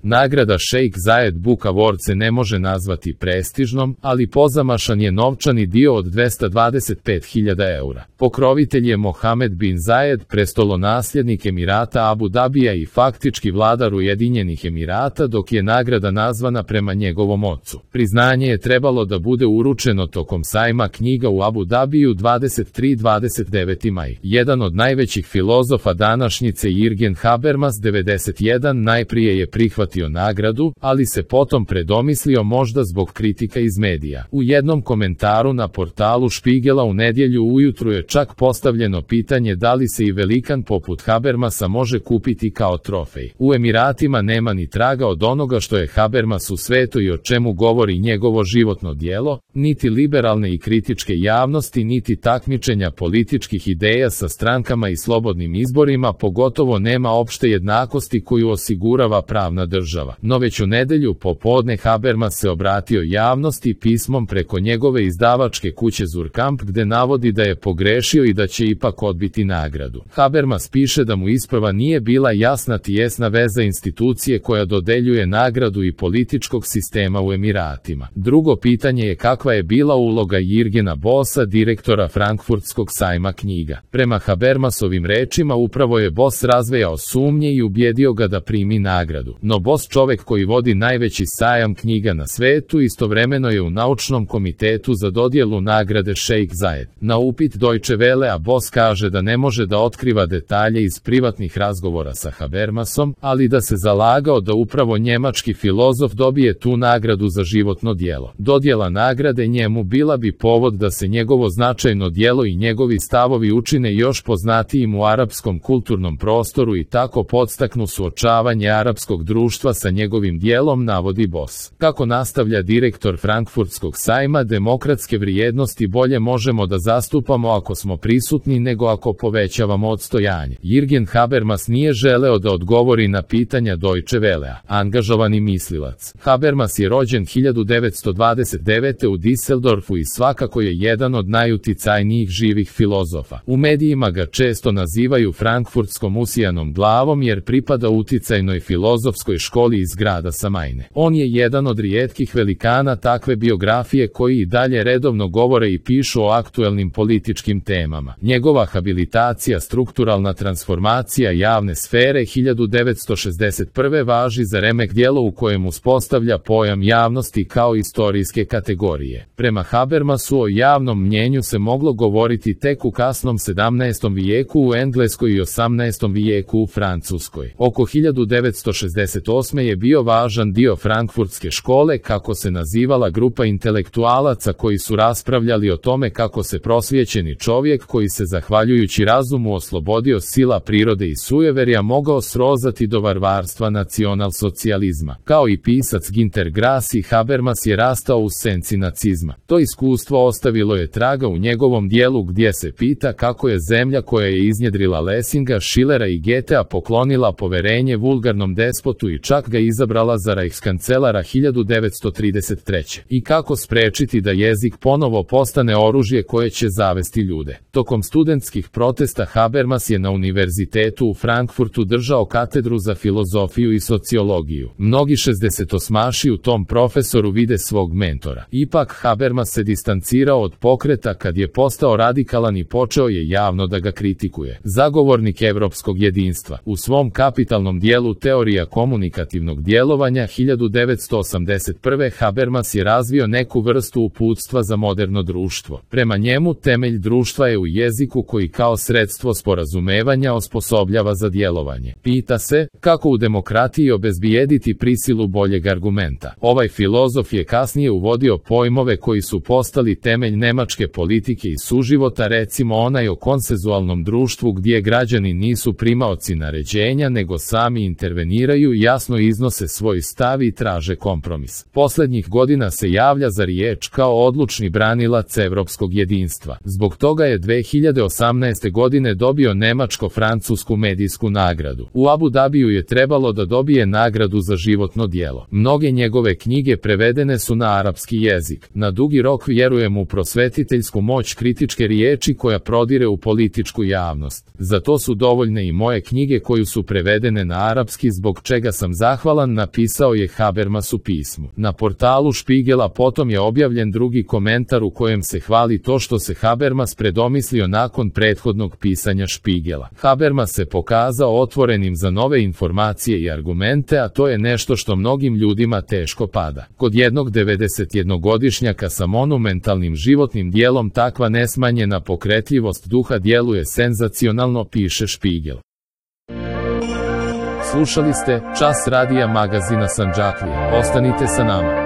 Nagrada Šejk Zajed Book Award se ne može nazvati prestižnom, ali pozamašan je novčani dio od 225.000 eura. Pokrovitelj je Mohamed bin Zajed, prestolonasljednik Emirata Abu Dabija i faktički vladar Ujedinjenih Emirata, dok je nagrada nazvana prema njegovom ocu. Priznanje je trebalo da bude uručeno tokom sajma knjiga u Abu Dabiju 23-29. maj. Jedan od najvećih filozofa današnjice, Jürgen Habermas 91, najprije je prihvatio nagradu, ali se potom predomislio, možda zbog kritika iz medija. U jednom komentaru na portalu Špigela u nedjelju ujutru je čak postavljeno pitanje da li se i velikan poput Habermasa može kupiti kao trofej. U Emiratima nema ni traga od onoga što je Habermas u svetu i o čemu govori njegovo životno djelo, niti liberalne i kritičke javnosti, niti takmičenja političkih ideja sa strankama i slobodnim izborima, pogotovo nema opšte jednakosti koju osigurava pravna država. No već u nedjelju popodne Habermas se obratio javnosti pismom preko njegove izdavačke kuće Zurkamp, gde navodi da je pogrešio i da će ipak odbiti nagradu. Habermas piše da mu isprva nije bila jasna tijesna veza institucije koja dodeljuje nagradu i političkog sistema u Emiratima. Drugo pitanje je kakva je bila uloga Jürgena Bossa, direktora Frankfurtskog sajma knjiga. Prema Habermasovim rečima upravo je Boss razvejao sumnje i ubjedio ga da primi nagradu. No Boss, čovjek koji vodi najveći sajam knjiga na svetu, istovremeno je u naučnom komitetu za dodjelu nagrade Šejk Zajed. Na upit Deutsche Welle, a Boss kaže da ne može da otkriva detalje iz privatnih razgovora sa Habermasom, ali da se zalagao da upravo njemački filozof dobije tu nagradu za životno djelo. Dodjela nagrade njemu bila bi povod da se njegovo značajno djelo i njegovi stavovi učine još poznatijim u arapskom kulturnom prostoru i tako podstaknu suočavanje arapskog društva sa njegovim djelom, navodi Boss. Kako nastavlja direktor Frankfurtskog sajma, demokratske vrijednosti bolje možemo da zastupamo ako smo prisutni nego ako povećavamo odstojanje. Jürgen Habermas nije želeo da odgovori na pitanja Deutsche Wellea. Angažovani mislilac. Habermas je rođen 1929. u Düsseldorfu i svakako je jedan od najuticajnijih živih filozofa. U medijima ga često nazivaju frankfurtskom usijanom glavom jer pripada uticajnoj filozofskoj školi iz grada Samajne. On je jedan od rijetkih velikana takve biografije koji i dalje redovno govore i pišu o aktuelnim političkim temama. Njegova habilitacija Strukturalna transformacija javne sfere 1961. važi za remek djelo u kojem uspostavlja pojam javnosti kao istorijske kategorije. Prema Habermasu o javnom mnjenju se moglo govoriti tek u kasnom 17. vijeku u Engleskoj i 18. vijeku u Francuskoj. Oko 1968. je bio važan dio Frankfurtske škole, kako se nazivala grupa intelektualaca koji su raspravljali o tome kako se prosvjećeni čovjek koji se zahvaljujući razumu oslobodio sila prirode i sujeverja mogao srozati do varvarstva nacionalsocijalizma. Kao i pisac Günter Grass, i Habermas je rastao u senci nacizma. To iskustvo ostavilo je traga u njegovom dijelu gdje se pita kako je zemlja koja je iznjedrila Lessinga, Schillera i Goethea poklonila poverenje vulgarnom despotu i čak ga izabrala za Reichskancelara 1933. I kako sprečiti da jezik ponovo postane oružje koje će zavesti ljude. Tokom studentskih protesta Habermas je na univerzitetu u Frankfurtu držao katedru za filozofiju i sociologiju. Mnogi 68-aši u tom profesoru vide svog mentora. Ipak Habermas se distancirao od pokreta kad je postao radikalan i počeo je javno da ga kritikuje. Zagovornik evropskog jedinstva. U svom kapitalnom dijelu Teorija komunikativnog djelovanja 1981. Habermas je razvio neku vrstu uputstva za moderno društvo. Prema njemu temelj društva je u jeziku koji kao sredstvo sporazumevanja osposobljava za djelovanje. Pita se, kako u demokratiji obezbijediti prisilu boljeg argumenta. Ovaj filozof je kasnije uvodio pojmove koji su postali temelj nemačke politike i suživota, recimo onaj o konsenzualnom društvu gdje građani nisu primaoci naređenja nego sami interveniraju, jasno iznose svoj stav i traže kompromis. Posljednjih godina se javlja za riječ kao odlučni branilac evropskog jedinstva. Zbog toga je 2018. godine dobio nemačko-francusku medijsku nagradu. U Abu Dabiju je trebalo da dobije nagradu za životno djelo. Mnoge njegove knjige prevedene su na arapski jezik. Na dugi rok vjerujem u prosvetiteljsku moć kritičke riječi koja prodire u političku javnost. Za to su dovoljne i moje knjige koje su prevedene na arapski, zbog čega sam sam zahvalan, napisao je Habermas u pismu. Na portalu Špigela potom je objavljen drugi komentar u kojem se hvali to što se Habermas predomislio nakon prethodnog pisanja Špigela. Habermas se pokazao otvorenim za nove informacije i argumente, a to je nešto što mnogim ljudima teško pada. Kod jednog 91-godišnjaka sa monumentalnim životnim dijelom takva nesmanjena pokretljivost duha djeluje senzacionalno, piše Špigel. Slušali ste Čas radija magazina Sandžaklija. Ostanite sa nama.